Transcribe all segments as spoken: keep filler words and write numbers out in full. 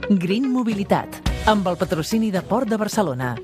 Green Mobilitat, amb el patrocini de Port de Barcelona.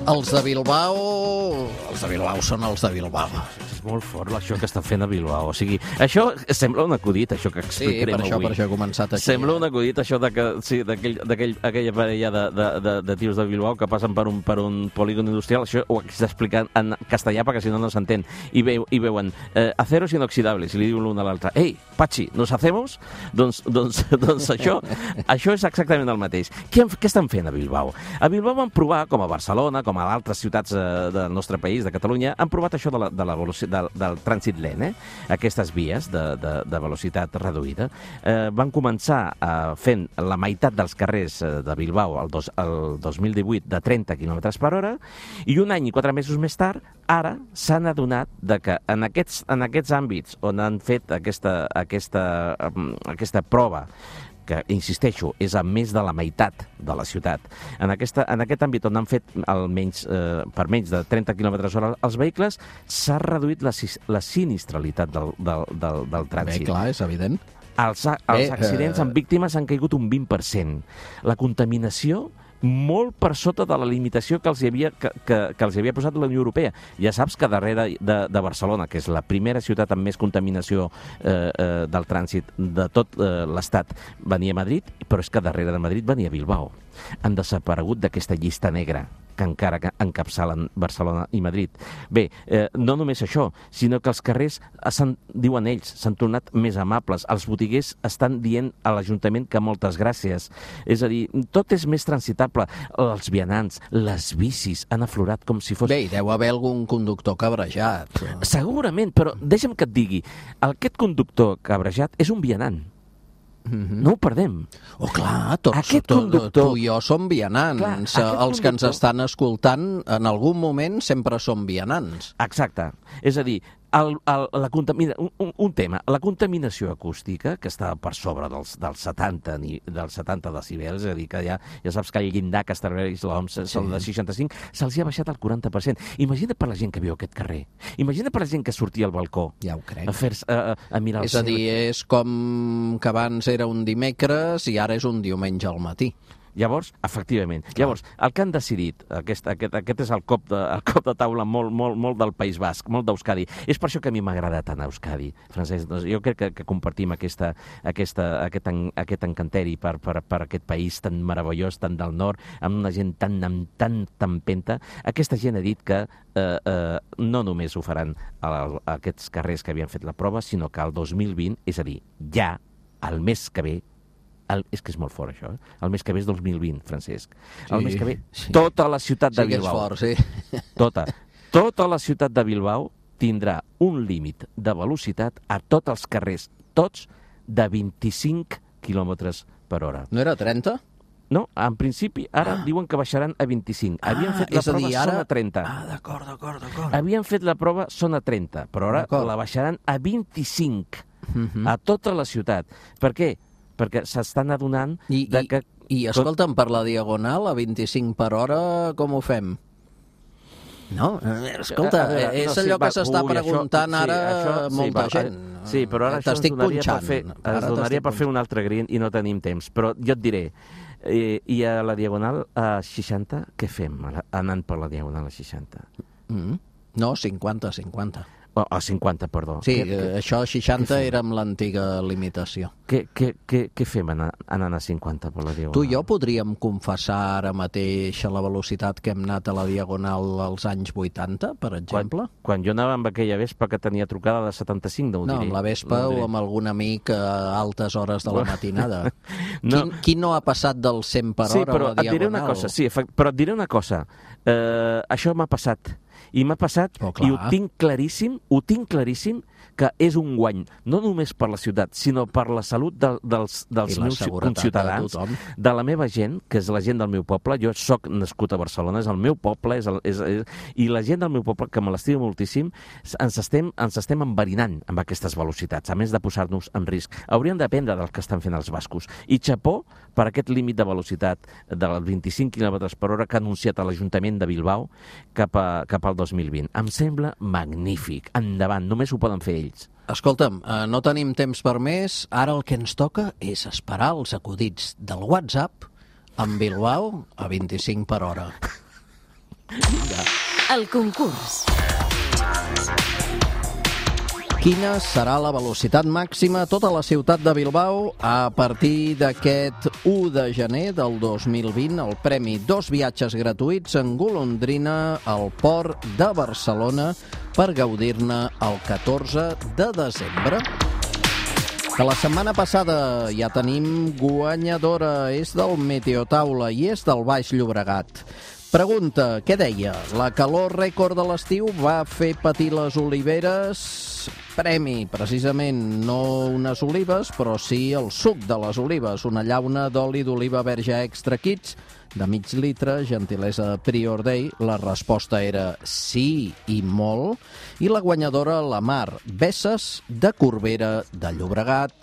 Els de Bilbao... Els de Bilbao són els de Bilbao. És molt fort això que està fent a Bilbao. O sigui, això sembla un acudit, això que explicarem avui. Sí, per això, avui. per això he començat així. Sembla un acudit, això de que, sí, d'aquell, d'aquell, aquella parella de, de, de, de tios de Bilbao que passen per un, per un polígon industrial. Això ho haig d'explicar en castellà perquè si no no s'entén. I, veu, i veuen eh, aceros inoxidables i li diuen l'un a l'altre: ei, Pachi, ¿nos hacemos? Doncs, doncs, doncs això, això és exactament el mateix. Què, què estan fent a Bilbao? A Bilbao van provar, com a Barcelona, com a altres ciutats eh, del nostre país, de Catalunya, han provat això de la, de la velocitat, del, del trànsit lent, eh? Aquestes vies de, de, de velocitat reduïda. Eh, van començar eh, fent la meitat dels carrers eh, de Bilbao el, dos, el dos mil divuit de trenta quilòmetres per hora i un any i quatre mesos més tard, ara s'han adonat de que en aquests, en aquests àmbits on han fet aquesta, aquesta, aquesta prova, que, insisteixo, és a més de la meitat de la ciutat. En, aquesta, en aquest àmbit on han fet almenys, eh, per menys de trenta quilòmetres hora els vehicles, s'ha reduït la, la sinistralitat del, del, del, del trànsit. Bé, clar, és evident. Els, els accidents amb víctimes han caigut un vint per cent. La contaminació molt per sota de la limitació que els hi havia, que, que, que els hi havia posat la Unió Europea. Ja saps que darrere de, de Barcelona, que és la primera ciutat amb més contaminació eh, eh, del trànsit de tot eh, l'Estat, venia Madrid, però és que darrere de Madrid venia Bilbao. Han desaparegut d'aquesta llista negra que encara encapçalen Barcelona i Madrid. Bé, eh, no només això, sinó que els carrers, diuen ells, s'han tornat més amables. Els botiguers estan dient a l'Ajuntament que moltes gràcies. És a dir, tot és més transitable. Els vianants, les bicis han aflorat com si fos... Bé, hi deu haver algun conductor cabrejat. Però... Segurament, però deixa'm que et digui, aquest conductor cabrejat és un vianant. Mm-hmm. No ho perdem. Oh, clar, tots, Aquest tot, conductor... tu i jo som vianants. Clar, els conductor... que ens estan escoltant, en algun moment sempre som vianants. Exacte. És a dir, el, el, la contamina... un, un tema, la contaminació acústica, que està per sobre dels, dels, setanta, dels setanta decibels, és a dir, que ja, ja saps que el llindar que estableix l'O M S sí. Són de seixanta-cinc, se'ls ha baixat al quaranta per cent. Imagina per la gent que viu a aquest carrer. Imagina per la gent que sortia al balcó. Ja ho crec. A, fer, a, a mirar el És a dir, és com que abans era un dimecres i ara és un diumenge al matí. Llavors, efectivament, Clar. llavors, el que han decidit, aquest, aquest, aquest és el cop, de, el cop de taula molt, molt, molt del País Basc, molt d'Euskadi. És per això que a mi m'agrada tant Euskadi, Francesc. Doncs jo crec que, que compartim aquesta, aquesta, aquest, en, aquest encanteri per, per, per aquest país tan meravellós, tan del nord, amb una gent tan, amb tan tempenta. Aquesta gent ha dit que eh, eh, no només ho faran a, a aquests carrers que havien fet la prova, sinó que el dos mil vint, és a dir, ja, el mes que ve, El, és que és molt fort, això. Eh? El mes que ve és dos mil vint, Francesc. El sí, mes que ve, sí. tota la ciutat de sí Bilbao... Fort, sí. Tota. Tota la ciutat de Bilbao tindrà un límit de velocitat a tots els carrers, tots, de vint-i-cinc quilòmetres per hora. No era trenta? No, en principi, ara ah. diuen que baixaran a vint-i-cinc. Havien ah, fet la prova, dir, ara... són a trenta. Ah, d'acord, d'acord, d'acord. Havien fet la prova, són a trenta, però ara la baixaran a vint-i-cinc uh-huh. a tota la ciutat. Per què? Perquè s'estan adonant I, de que... I, i escolta'm, per la diagonal, a vint-i-cinc per hora, com ho fem? No, escolta, veure, és no, allò sí, que s'està preguntant això, ara sí, això, molta sí, gent. Sí, però ara això ens donaria, per fer, ens donaria per fer un altre green i no tenim temps. Però jo et diré, eh, i a la diagonal a seixanta, què fem anant per la diagonal a seixanta? Mm. No, cinquanta, cinquanta. Oh, a cinquanta, perdó. Sí, què, això seixanta era amb l'antiga limitació. Què, què, què, què fem anant, anant a cinquanta per la diagonal? Tu i jo podríem confessar ara mateix a la velocitat que hem anat a la diagonal als anys vuitanta, per exemple? Quan, quan jo anava amb aquella Vespa que tenia trucada de setanta-cinc, no ho diré. No, amb la Vespa no o amb algun amic a altes hores de la matinada. no. Qui, qui no ha passat del cent per sí, hora a la diagonal? Et diré una cosa, sí, però et diré una cosa. Uh, això m'ha passat. I m'ha passat, oh, i ho tinc claríssim, ho tinc claríssim, que és un guany, no només per la ciutat, sinó per la salut de, dels, dels meus conciutadans, de, de la meva gent, que és la gent del meu poble. Jo sóc nascut a Barcelona, és el meu poble, és el, és, és, i la gent del meu poble, que me l'estima moltíssim, ens estem, ens estem enverinant amb aquestes velocitats, a més de posar-nos en risc. Hauríem d'aprendre del que estan fent els bascos. I xapó per aquest límit de velocitat dels vint-i-cinc quilòmetres per hora que ha anunciat a l'Ajuntament de Bilbao cap, a, cap al dos mil vint. Em sembla magnífic. Endavant, només ho poden fer ells. Escolta'm, eh, no tenim temps per més. Ara el que ens toca és esperar els acudits del WhatsApp amb Bilbao a vint-i-cinc per hora. Ja. El concurs. Quina serà la velocitat màxima a tota la ciutat de Bilbao a partir d'aquest u de gener del dos mil vint? El premi dos viatges gratuïts en golondrina al port de Barcelona per gaudir-ne el catorze de desembre. Que la setmana passada ja tenim guanyadora, és del Meteotaula i és del Baix Llobregat. Pregunta, què deia? La calor rècord de l'estiu va fer patir les oliveres? Premi, precisament, no unes olives, però sí el suc de les olives, una llauna d'oli d'oliva verge extra kits de mig litre, gentilesa Prior Day. La resposta era sí i molt. I la guanyadora, la Mar Besses, de Corbera de Llobregat.